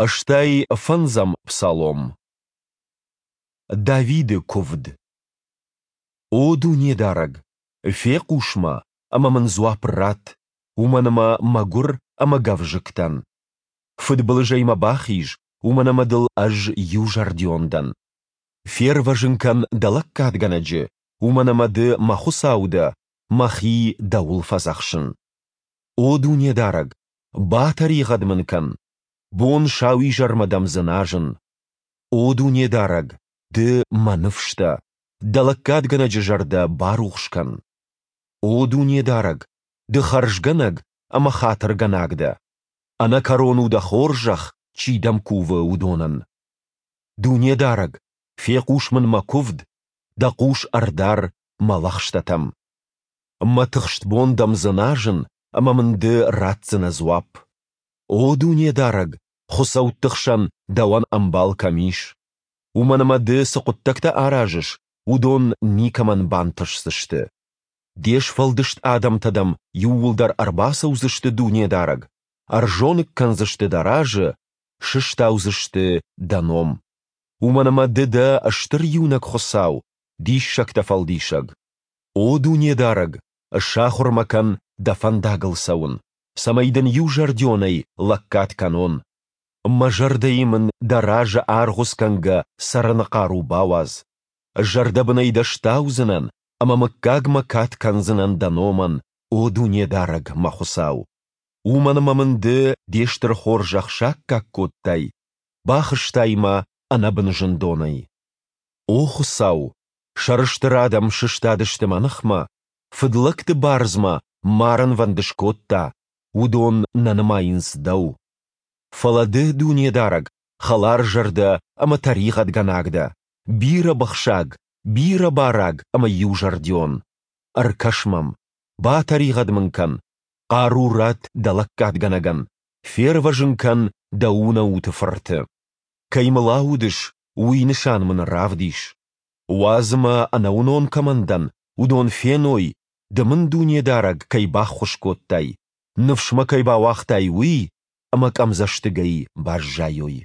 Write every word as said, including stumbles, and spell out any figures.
Ӕстай фӕндзӕм псалом. Давиды куывд. О Дунедарӕг, фехъус мӕ ӕмӕ мын дзуапп ратт, уымӕн ӕмӕ мӕгуыр ӕмӕ гӕвзыкк дӕн. Фыдбылызӕй мӕ бахиз, уымӕн ӕмӕ Дыл ӕз иузӕрдион дӕн. Фервӕзын кӕн Дӕ лӕггадгӕнӕджы, уымӕн ӕмӕ Ды мӕ Хуыцау дӕ, мӕхи Дӕуыл фӕдзӕхсын. О Дунедарӕг, батӕригъӕд мын кӕн, бон-сауизӕрмӕ Дӕм дзыназын. О Дунедарӕг, Ды мӕ ныфс дӕ, Дӕ лӕггадгӕнӕджы зӕрдӕ барухс кӕн. О Дунедарӕг, Ды хӕрзгӕнӕг ӕмӕ хатыргӕнаг дӕ. Ӕнӕкӕрон у Дӕ хорзӕх, чи Дӕм кувы, уыдонӕн. Дунедарӕг, фехъус мын мӕ куывд, Дӕ хъус ӕрдар мӕ лӕгъстӕтӕм. Мӕ тыхст бон Дӕм дзыназын, ӕмӕ мын Ды ратдзынӕ дзуапп. О Дунедарӕг, хуыцӕутты хсӕн Дӕуӕн ӕмбал кӕм ис? Уымӕн ӕмӕ Ды цы хъуыддӕгтӕ аразыс, уыдон никӕмӕн бантысдзысты. Де сфӕлдыст адӕмтӕ дӕм иууылдӕр ӕрбацӕудзысты, Дунедарӕг, ӕрзоныг кӕндзысты дӕ разы, сыстаудзысты дӕ ном. Уымӕн ӕмӕ Ды дӕ стыр иунӕг Хуыцау, диссӕгтӕ фӕлдисӕг. О Дунедарӕг, сахуыр мӕ кӕн дӕ фӕндагыл цӕуын, цӕмӕй дын иузӕрдионӕй лӕггад кӕнон. Мӕ зӕрдӕйы мын дӕ разы аргъуыцгӕнгӕ цӕрыны хъару бауадз. Зӕрдӕбынӕй дӕ стаудзынӕн ӕмӕ мыггагмӕ кад кӕндзынӕн дӕ номӕн, о Дунедарӕг, мӕ Хуыцау. Уымӕн ӕмӕ мын Ды де стыр хорзӕх саккаг кодтай, бахызтай мӕ ӕнӕбын зындонӕй. О Хуыцау, сӕрыстыр адӕм сыстадысты мӕ ныхмӕ, фыдлӕгты бардз мӕ марынвӕнд скодта, уыдон нӕ нымайынц Дӕу. Фӕлӕ Ды, Дунедарӕг, хӕларзӕрдӕ ӕмӕ тӕригъӕдгӕнаг дӕ, бирӕбыхсаг, бирӕбараг ӕмӕ иузӕрдион. Ӕркӕс мӕм, батӕригъӕд мын кӕн, хъару ратт дӕ лӕггадгӕнӕгӕн, фервӕзын кӕн дӕ унӕуты фырты. Кӕй мыл аудыс, уый нысан мын равдис. Уадз ӕмӕ, ӕнӕуынон кӕмӕн дӕн, уыдон феной, Ды мын, Дунедарӕг, кӕй баххуыс кодтай, ныфс мӕ кӕй бауагътай, уый, ӕмӕ къӕмдзӕстыгӕй баззайой.